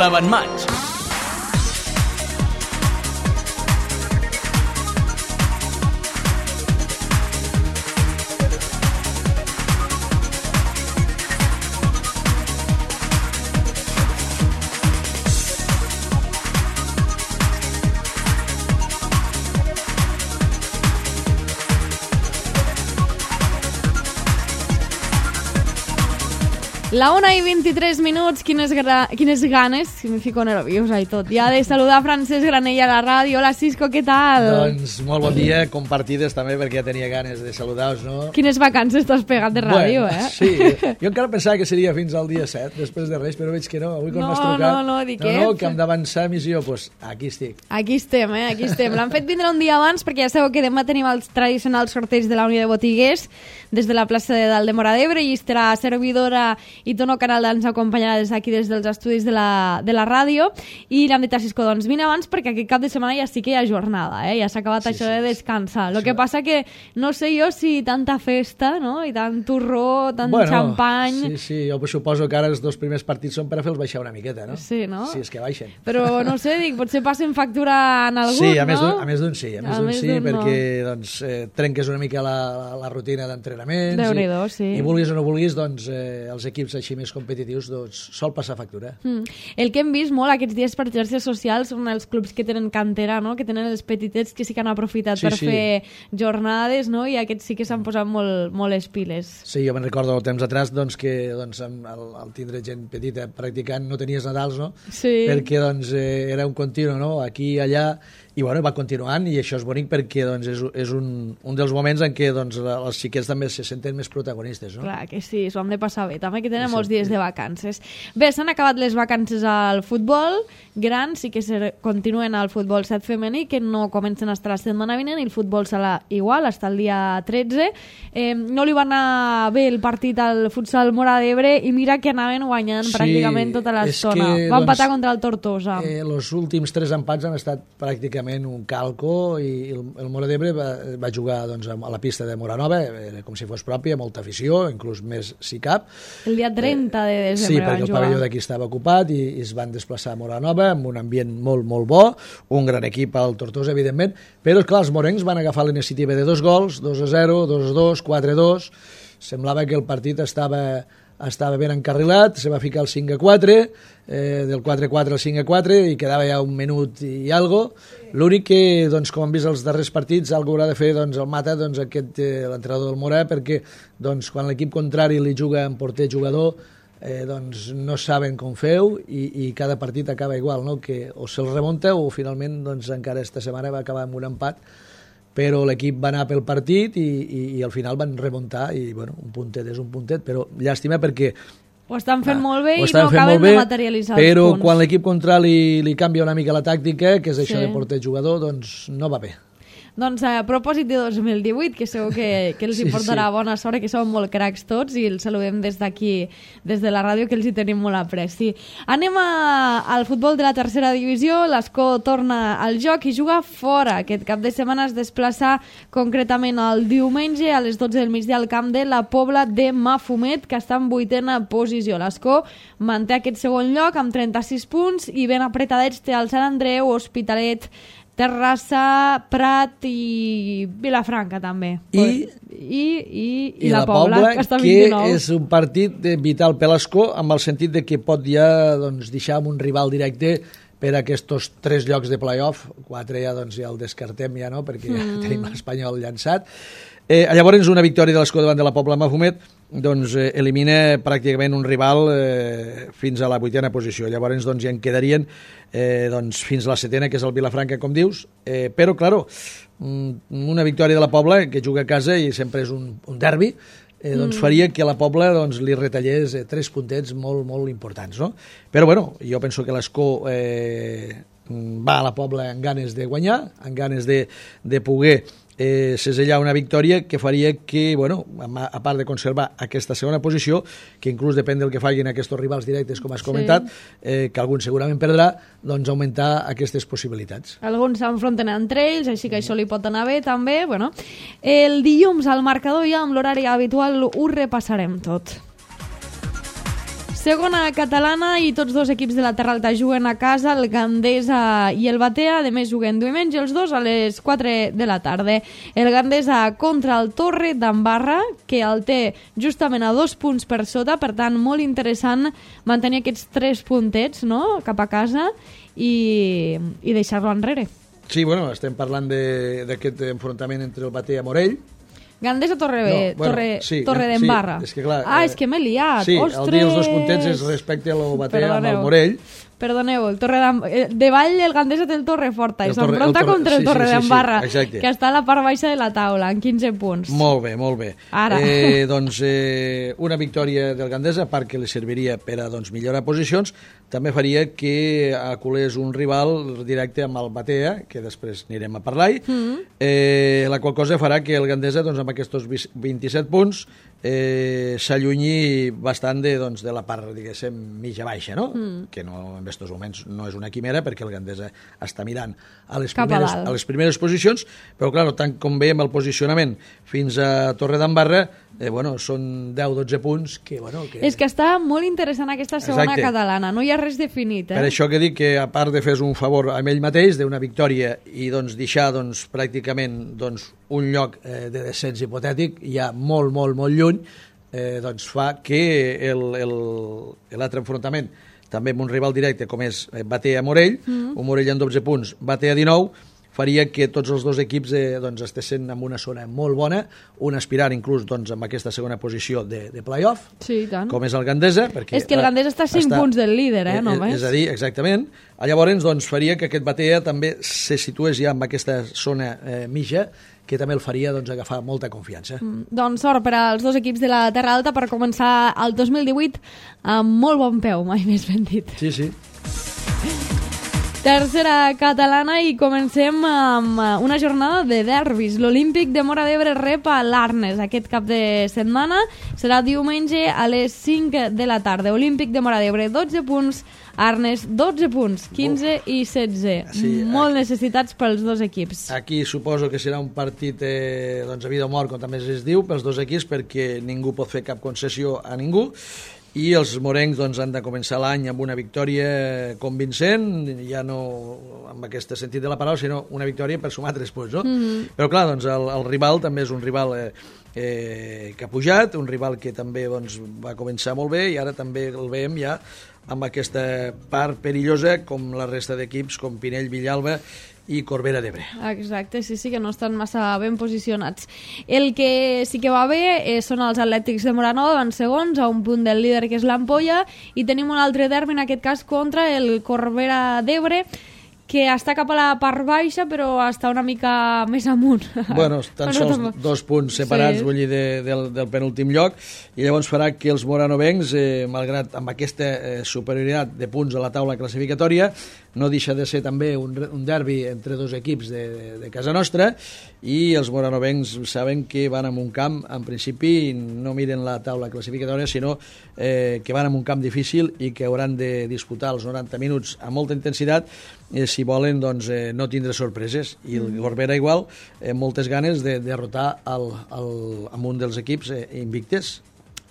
l'avantmatx. La 1:23, quines ganes, si me fico nerviosa i tot, ja de saludar Francesc Granell a la ràdio. Hola, Cisco, què tal? Doncs molt bon dia, compartides també, perquè ja tenia ganes de saludar-vos, no? Quines vacances t'has pegat de ràdio, bueno, Sí, jo encara pensava que seria fins al dia 7, després de Reis, però veig que no, avui quan m'has trucat... No, que hem d'avançar missió, doncs aquí estic. Aquí estem, aquí estem. L'han fet vindre un dia abans, perquè ja sabeu que demà tenim els tradicionals sorteig de la Unió de Botiguers, des de la plaça de Dalt de Móra d'Ebre, i estarà servidora i Tono Canal ens acompanyarà des d'aquí, des dels estudis de la ràdio, i l'han dit a Cisco, doncs vine abans perquè aquest cap de setmana ja sí que hi ha jornada, ja s'ha acabat això de descansar. El que passa que no sé jo si tanta festa, no?, i tant turró, tant xampany... Sí, jo suposo que ara els dos primers partits són per a fer-los baixar una miqueta, no? Sí, no? Sí, és que baixen. Però no sé, dic, potser passen factura en algun, sí, no? A més d'un sí, perquè doncs, trenques una mica la rutina d'entrenaments. Déu-n'hi-do, sí. I vulguis o no vulguis, doncs els equips així més competitius doncs, sol passar factura. El que hem vist molt aquests dies per xarxes socials són els clubs que tenen cantera, no?, que tenen els petitets que sí que han aprofitat per fer jornades, no?, i aquests sí que s'han posat molt les piles. Sí, jo me'n recordo el temps atrás doncs, que doncs, al tindre gent petita practicant no tenies Nadals, no? Sí. Perquè doncs, era un continu, no?, aquí i allà, i bueno, va continuant, i això és bonic perquè doncs, és un dels moments en què doncs, els xiquets també se senten més protagonistes, no? Clar que sí, s'ho han de passar bé, també que tenen molts dies de vacances. Bé, s'han acabat les vacances al futbol gran, sí que continuen al futbol 7 femení, que no comencen a estar la setmana vinent, i el futbol sala igual, fins al dia 13. No li va anar bé el partit al futsal Móra d'Ebre, i mira que anaven guanyant pràcticament tota l'estona. Va empatar contra el Tortosa. Els últims 3 empats han estat pràcticament un calco, i el Móra d'Ebre va jugar doncs, a la pista de Moranova, com si fos pròpia, molta afició, inclús més si cap. El dia 30 de desembre sí, perquè el pavelló d'aquí estava ocupat i es van desplaçar a Moranova amb un ambient molt, molt bo, un gran equip al Tortosa, evidentment, però clar, els morencs van agafar la iniciativa de 2 gols, 2-0, 2-2, 4-2, semblava que el partit estava ben encarrilat, se va ficar el 5-4, del 4-4 al 5-4, i quedava ja un minut i algo. L'únic que, doncs, com hem vist els darrers partits, algú haurà de fer doncs, el Mata, doncs, l'entrenador del Morà, perquè doncs, quan l'equip contrari li juga en porter-jugador, doncs, no saben com feu, i cada partit acaba igual, no? Que o se'l remunta o finalment doncs, encara esta setmana va acabar amb un empat, però l'equip va anar pel partit i al final van remuntar, i bueno, un puntet és un puntet, però llàstima perquè ho estan fent molt bé i no acaben de materialitzar els punts. Però quan l'equip contrari li canvia una mica la tàctica, que és això de porter-jugador, doncs no va bé. Doncs a propòsit de 2018, que segur que els hi portarà bona sort, que són molt cracs tots, i els saludem des d'aquí, des de la ràdio, que els hi tenim molt apreci. Anem al futbol de la tercera divisió. l'Escó torna al joc i juga fora. Aquest cap de setmana es desplaça concretament el diumenge a les 12 del migdia al camp de la Pobla de Mafumet, que està en 8a posició. L'Escó manté aquest segon lloc amb 36 punts, i ben apretadets té el Sant Andreu, Hospitalet, Terrassa, Prat i Vilafranca també. I la Pobla, que està 29. Que és un partit vital per l'Escó, amb el sentit de que pot ja doncs, deixar un rival directe per a aquests 3 llocs de play-off. 4 ja, doncs, ja el descartem, ja, no? Perquè ja tenim l'Espanyol llançat. Llavors, una victòria de l'Escó davant de la Pobla Mafumet doncs, elimina pràcticament un rival fins a la 8a posició. Llavors doncs, ja en quedarien doncs, fins a la 7a, que és el Vilafranca, com dius. Però, clar, una victòria de la Pobla, que juga a casa i sempre és un derbi, doncs faria que la Pobla doncs, li retallés 3 puntets molt, molt importants, no? Però, bueno, jo penso que l'Escó va a la Pobla amb ganes de guanyar, amb ganes de poder segellar una victòria que faria que, bueno, a part de conservar aquesta segona posició, que inclús depèn del que facin aquests rivals directes, com has comentat, que algun segurament perdrà, doncs augmentar aquestes possibilitats. Alguns s'enfronten entre ells, així que això li pot anar bé també. Bueno, el dilluns al marcador, ja amb l'horari habitual, ho repassarem tot. Segona catalana i tots dos equips de la Terra Alta juguen a casa, el Gandesa i el Batea, a més juguen diumenge els dos a les 4 de la tarda. El Gandesa contra el Torre d'Embarra, que el té justament a 2 punts per sota, per tant molt interessant mantenir aquests 3 puntets, no?, cap a casa i deixar-lo enrere. Sí, bueno, estem parlant d'aquest enfrontament entre el Batea i Morell. Gandesa Torre d'Embarra. Sí, és que clar... és que m'he liat. Sí, ostres! el dir els 2 puntets és respecte a lo Batea amb el Morell. Perdoneu, de Vall el Gandesa té el Torreforta i s'enfronta contra el Torre d'Embarra, que està a la part baixa de la taula, en 15 punts. Molt bé, molt bé. Ara. Doncs una victòria del Gandesa, a part que li serviria per a millorar posicions, també faria que aculés un rival directe amb el Batea, que després anirem a parlar-hi, la qual cosa farà que el Gandesa, amb aquests 27 punts, s'allunyi bastant de la part, diguéssim, mitja-baixa, no? Que no, en aquests moments no és una quimera, perquè el Gandesa està mirant a les primeres posicions, però, clar, tant com veiem el posicionament fins a Torre d'Embarra, són 10-12 punts que... És que està molt interessant aquesta segona catalana, no hi ha res definit. Per això que dic que, a part de fer un favor a ell mateix, d'una victòria i deixar pràcticament un lloc de descens hipotètic, ja molt, molt, molt lluny, fa que l'altre enfrontament, també amb un rival directe com és Batea-Morell, un Morell amb 12 punts, Batea 19, faria que tots els dos equips estessin en una zona molt bona, un aspirant inclús amb aquesta segona posició de play-off, com és el Gandesa. És que el Gandesa està a 5 punts del líder, només. És a dir, exactament. Llavors faria que aquest Batea també se situés ja en aquesta zona mitja, que també el faria agafar molta confiança. Doncs sort per als dos equips de la Terra Alta per començar el 2018 amb molt bon peu, mai més ben dit. Sí, sí. Tercera catalana i comencem amb una jornada de derbis. L'Olímpic de Móra d'Ebre rep a l'Arnes aquest cap de setmana. Serà diumenge a les 5 de la tarda. Olímpic de Móra d'Ebre, 12 punts. Arnes, 12 punts, 15 i 16. Sí, molt necessitats pels dos equips. Aquí suposo que serà un partit a vida o mort, com també es diu, pels dos equips, perquè ningú pot fer cap concessió a ningú. I els morencs han de començar l'any amb una victòria convincent, ja no amb aquest sentit de la paraula, sinó una victòria per sumar 3 punts, no? Però clar, el rival també és un rival que ha pujat, un rival que també va començar molt bé i ara també el veiem ja amb aquesta part perillosa com la resta d'equips, com Pinell, Villalba i Corbera d'Ebre. Exacte, sí, que no estan massa ben posicionats. El que sí que va bé són els Atlètics de Moranova, van segons, a un punt del líder que és l'Ampolla, i tenim un altre derbi, en aquest cas contra el Corbera d'Ebre, que està cap a la part baixa, però està una mica més amunt. Bueno, tan sols 2 punts separats, vull dir, del penúltim lloc, i llavors farà que els moranovencs, malgrat amb aquesta superioritat de punts a la taula classificatòria, no deixa de ser també un derbi entre dos equips de casa nostra, i els moranovencs saben que van a un camp, en principi no miren la taula classificatòria, sinó que van a un camp difícil i que hauran de disputar els 90 minuts amb molta intensitat si volen no tindre sorpreses. I el Corbera igual, moltes ganes de derrotar amb un dels equips invictes.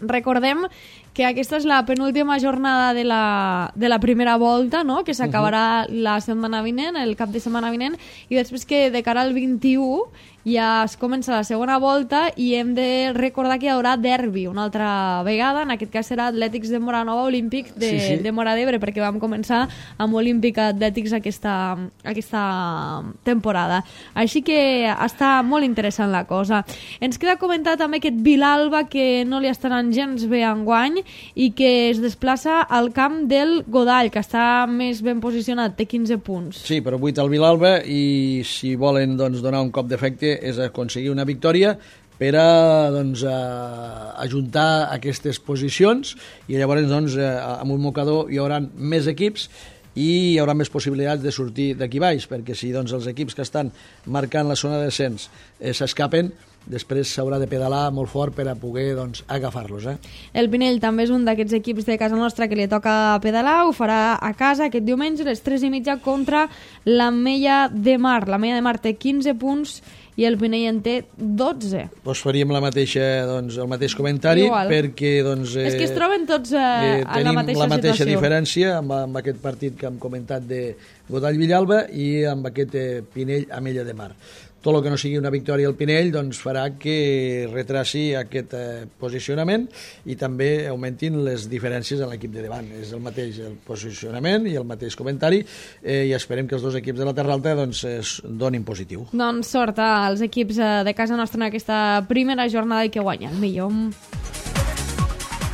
Recordem que aquesta és la penúltima jornada de la primera volta, no?, que s'acabarà la setmana vinent, el cap de setmana vinent, i després que de cara al 21 ja es comença la segona volta i hem de recordar que hi haurà derbi una altra vegada, en aquest cas serà Atlètics de Moranova, Olímpic de Móra d'Ebre, perquè vam començar amb Olímpic Atlètics aquesta temporada. Així que està molt interessant la cosa. Ens queda comentar també aquest Vilalba, que no li està anant gens bé enguany i que es desplaça al camp del Godall, que està més ben posicionat, té 15 punts. Sí, però 8 al Vilalba, i si volen donar un cop d'efecte és aconseguir una victòria per a ajuntar aquestes posicions, i llavors amb un mocador hi haurà més equips i hi haurà més possibilitats de sortir d'aquí baix, perquè si els equips que estan marcant la zona de descens s'escapen, després s'haurà de pedalar molt fort per a poder doncs, agafar-los. El Pinell també és un d'aquests equips de casa nostra que li toca pedalar, ho farà a casa aquest diumenge a les 3:30 contra l'Ametlla de Mar. L'Ametlla de Mar té 15 punts i el Pinell en té 12. Doncs faríem el mateix comentari. Igual. Perquè és que es troben tots en la mateixa situació. Tenim la mateixa diferència amb aquest partit que hem comentat de Godall-Villalba i amb aquest Pinell-Ametlla de Mar. Tot el que no sigui una victòria al Pinell doncs farà que retraci aquest posicionament i també augmentin les diferències en l'equip de davant. És el mateix el posicionament i el mateix comentari i esperem que els dos equips de la Terra Alta doncs, es donin positiu. Doncs sort als equips de casa nostra en aquesta primera jornada i que guanya el millor.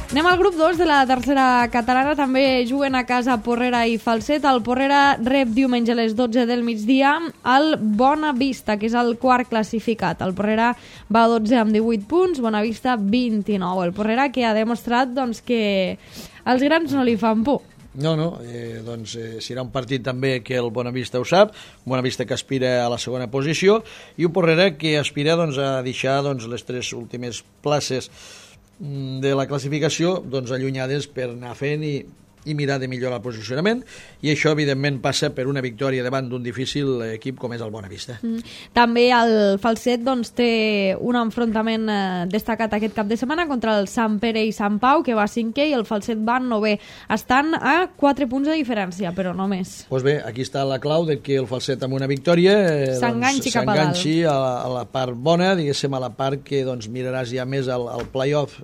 Anem al grup 2 de la tercera catalana, també juguen a casa Porrera i Falset. El Porrera rep diumenge a les 12 del migdia el Bonavista, que és el quart classificat. El Porrera va a 12 amb 18 punts, Bonavista 29. El Porrera que ha demostrat doncs, que els grans no li fan por. No, serà un partit també que el Bonavista ho sap, Bonavista que aspira a la segona posició i un Porrera que aspira a deixar les 3 últimes places de la classificació allunyades per anar fent i mirar de millorar el posicionament i això evidentment passa per una victòria davant d'un difícil equip com és el Bonavista. També el Falset té un enfrontament destacat aquest cap de setmana contra el Sant Pere i Sant Pau, que va 5è i el Falset va 9è. Estan a 4 punts de diferència, però no més. Doncs bé, aquí està la clau de que el Falset amb una victòria s'enganxi a la part bona, diguéssim, a la part que miraràs ja més al play-off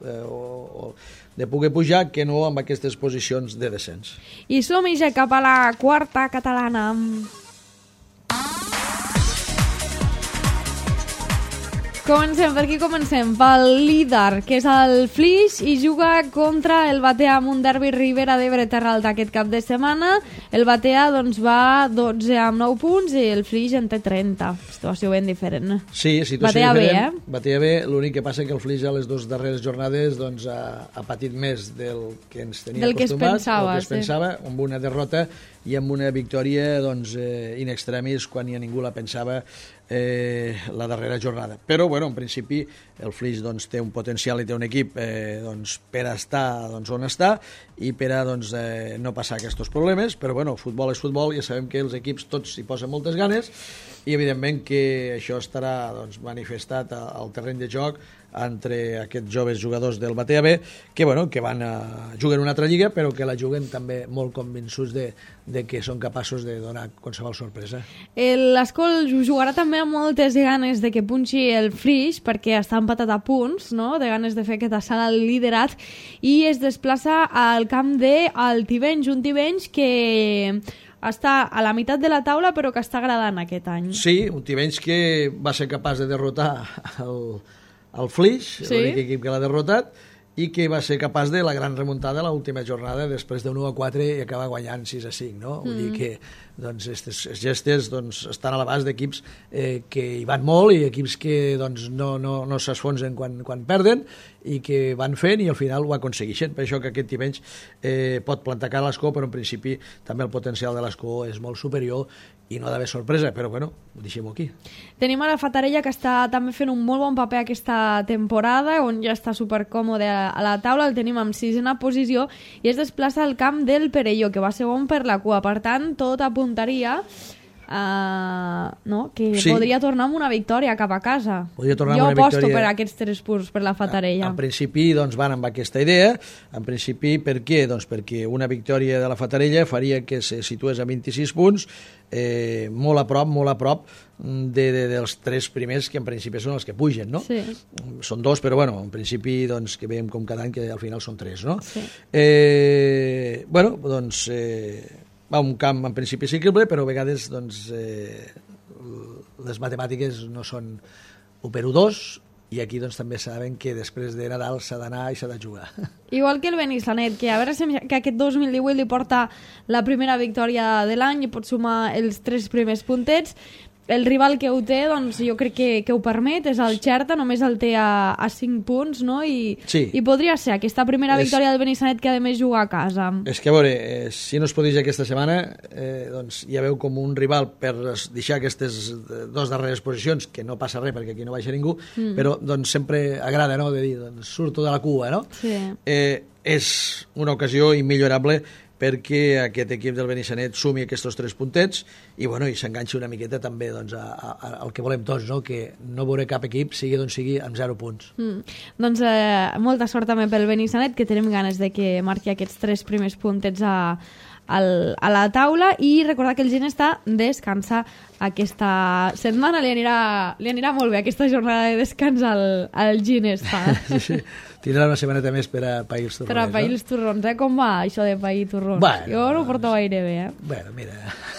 de poder pujar que no amb aquestes posicions de descens. I som-hi ja cap a la quarta catalana. Comencem, per aquí comencem? Pel líder, que és el Flix, i juga contra el Batea amb un derbi Ribera d'Ebre Terra Alta aquest cap de setmana. El Batea va 12 amb 9 punts i el Flix en té 30. Situació ben diferent. Sí, situació diferent. Batea bé, l'únic que passa que el Flix a les 2 darreres jornades ha patit més del que ens tenia acostumats, del que es pensava, amb una derrota i amb una victòria in extremis quan ja ningú la pensava la darrera jornada. Però, en principi, el Flix té un potencial i té un equip per a estar on està i per a no passar aquests problemes, però, futbol és futbol, ja sabem que els equips tots hi posen moltes ganes i, evidentment, que això estarà manifestat al terreny de joc entre aquests joves jugadors del Batea B que juguen una altra lliga però que la juguen també molt convençuts de que són capaços de donar qualsevol sorpresa. L'Escol jugarà també amb moltes ganes de que punxi el Flix perquè està empatat a punts, no? De ganes de fer aquest assalt al liderat i es desplaça al camp del Tivenys, un Tivenys que està a la meitat de la taula però que està agradant aquest any. Sí, un Tivenys que va ser capaç de derrotar el Flix, sí, l'únic equip que l'ha derrotat, i que va ser capaç de la gran remuntada a l'última jornada després de 1-4 i acabar guanyant 6-5, no? Vull dir que aquestes gestes estan a l'abast d'equips que hi van molt i equips que no s'esfonsen quan perden i que van fent i al final ho aconsegueixen. Per això que aquest Tivenys pot plantar cara a l'Escó, però en principi també el potencial de l'Escó és molt superior i no ha d'haver sorpresa, però deixem-ho aquí. Tenim a la Fatarella que està també fent un molt bon paper aquesta temporada, on ja està supercòmode a la taula, el tenim amb 6a posició i es desplaça al camp del Perelló, que va segon per la cua, per tant tot apuntaria que sí, podria tornar amb una victòria cap a casa. Jo aposto per aquests 3 punts per la Fatarella. En principi van amb aquesta idea. En principi, per què? Perquè una victòria de la Fatarella faria que se situés a 26 punts, molt a prop dels 3 primers que en principi són els que pugen, no? Sí. Són 2, però en principi que veiem com cada any que al final són 3, no? Sí. Va un camp en principi ciclible, però a vegades les matemàtiques no són 1/2 i aquí també saben que després de Nadal s'ha d'anar i s'ha de jugar. Igual que el Benissanet, que a veure si aquest 2018 li porta la primera victòria de l'any i pot sumar els 3 primers puntets. el rival que ho té, doncs jo crec que ho permet, és el Xerta, només el té a 5 punts, no? I podria ser aquesta primera victòria del Benissanet que a més juga a casa. És que a veure, si no es podria aquesta setmana, doncs ja veu com un rival per deixar aquestes 2 darreres posicions, que no passa res perquè aquí no baixa ningú, però doncs sempre agrada, no?, de dir, doncs surto de la cua, no? Sí. És una ocasió immillorable perquè aquest equip del Benissanet sumi aquests 3 puntets i, bueno, i s'enganxi una miqueta també doncs, al que volem tots, no? Que no veure cap equip, sigui d'on sigui, amb 0 punts. Doncs molta sort també pel Benissanet, que tenim ganes de que marqui aquests 3 primers puntets a la taula, i recordar que el Ginesta descansa aquesta setmana. Li anirà molt bé aquesta jornada de descans al Ginesta. Sí. Tindrà una setmaneta més per a pair els torrons. Per a pair els torrons, Com va això de pair torrons? Bueno, jo no ho porto gaire bé, Bueno, mira...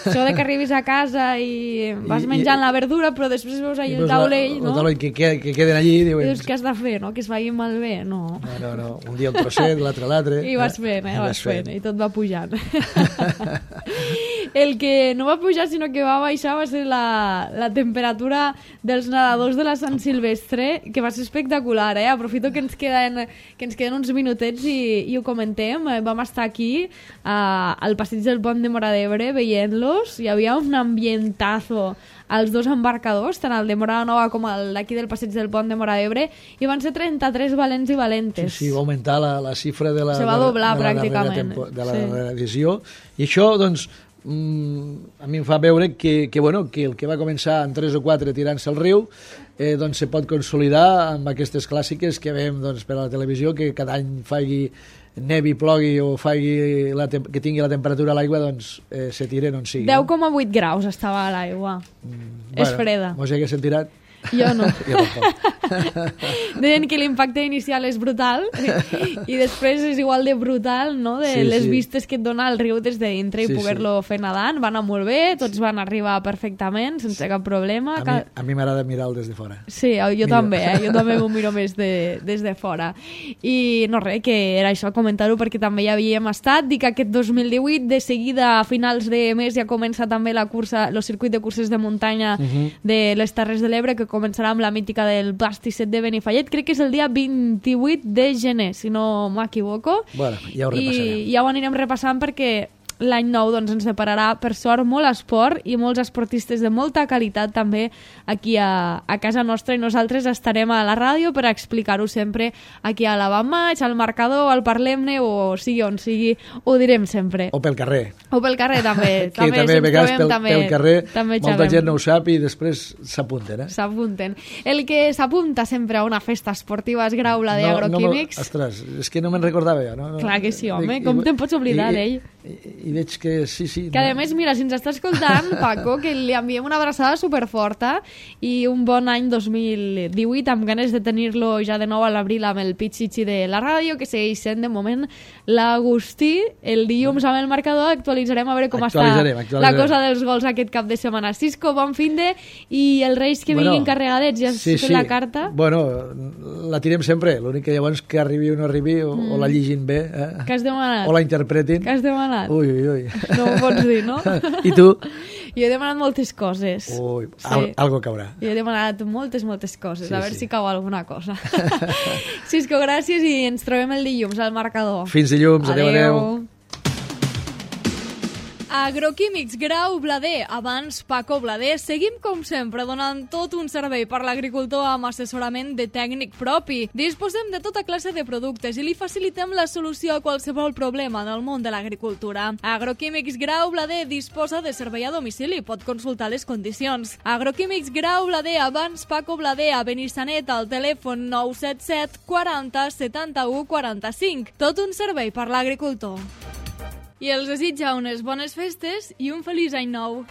Això de que arribis a casa i vas menjant la verdura, però després veus allà el taulell, no? El taulell que queden allí... I dius, què has de fer, no? Que es vagi malbé, no? No. Un dia un trosset, l'altre. I vas fent, i tot va pujant. El que no va pujar, sinó que va baixar, va ser la temperatura dels nedadors de la Sant Silvestre, que va ser espectacular, Aprofito que ens queden uns minutets i ho comentem. Vam estar aquí al passeig del Pont de Móra d'Ebre veient-los. Hi havia un ambientazo als 2 embarcadors, tant el de Móra la Nova com el d'aquí del passeig del Pont de Móra d'Ebre, i van ser 33 valents i valentes. Sí, va augmentar la xifra de la... Se va doblar pràcticament. De la darrera edició. I això, doncs, a mi em fa veure que el que va començar en 3 o 4 tirant-se al riu doncs se pot consolidar amb aquestes clàssiques que veiem per a la televisió, que cada any faci nevi, plogui o que tingui la temperatura a l'aigua, doncs se tiren on sigui. 10,8 graus estava a l'aigua. És freda. Mos hi haguessin tirat? Jo no. Deien que l'impacte inicial és brutal i després és igual de brutal, no? Les vistes que et dona el riu des de dintre i poder-lo fer nedant. Va anar molt bé, tots van arribar perfectament, sense cap problema. A mi m'agrada mirar-lo des de fora. Sí, jo també, jo també m'ho miro més des de fora. I no res, que era això, comentar-ho perquè també hi havíem estat. Dic que aquest 2018, de seguida, a finals de mes, ja comença també la cursa, el circuit de curses de muntanya de les Terres de l'Ebre, que començarà amb la mítica del pastisset de Benifallet. Crec que és el dia 28 de gener, si no m'equivoco. Bueno, ja ho repassarem. I ja ho anirem repassant perquè l'any nou ens separarà, per sort, molt esport i molts esportistes de molta qualitat també aquí a casa nostra, i nosaltres estarem a la ràdio per explicar-ho sempre aquí a la Van Maig, al marcador, al Parlem-ne, o sigui on sigui, ho direm sempre. O pel carrer. O pel carrer també. Que també a vegades pel carrer molta gent no ho sap i després s'apunten. S'apunten. El que s'apunta sempre a una festa esportiva és Graula de Agroquímics. Ostres, és que no me'n recordava jo. Clar que sí, home, com te'n pots oblidar d'ell? I veig que sí. Que a més, mira, si ens està escoltant, Paco, que li enviem una abraçada superforta i un bon any 2018, amb ganes de tenir-lo ja de nou a l'abril amb el pitxitxi de la ràdio, que segueix sent de moment l'Agustí. El dilluns amb el marcador actualitzarem a veure com està la cosa dels gols aquest cap de setmana. Cisco, bon finde, i els Reis que vinguin carregadets, ja has fet la carta? Bueno, la tirem sempre, l'únic que llavors que arribi o no arribi, o la llegin bé, que has demanat? O la interpretin. Que has demanat? Ui. No ho pots dir, no? I tu? Jo he demanat moltes coses. Ui, algo caurà. Jo he demanat moltes coses, a veure si cau alguna cosa. Cisco, gràcies, i ens trobem el dilluns al marcador. Fins dilluns, adeu. Agroquímics Grau Blader, abans Paco Blader. Seguim, com sempre, donant tot un servei per l'agricultor amb assessorament de tècnic propi. Disposem de tota classe de productes i li facilitem la solució a qualsevol problema en el món de l'agricultura. Agroquímics Grau Blader disposa de servei a domicili. Pot consultar les condicions. Agroquímics Grau Blader, abans Paco Blader, a Benissanet, al telèfon 977 40 71 45. Tot un servei per l'agricultor. I els desitja unes bones festes i un feliç any nou.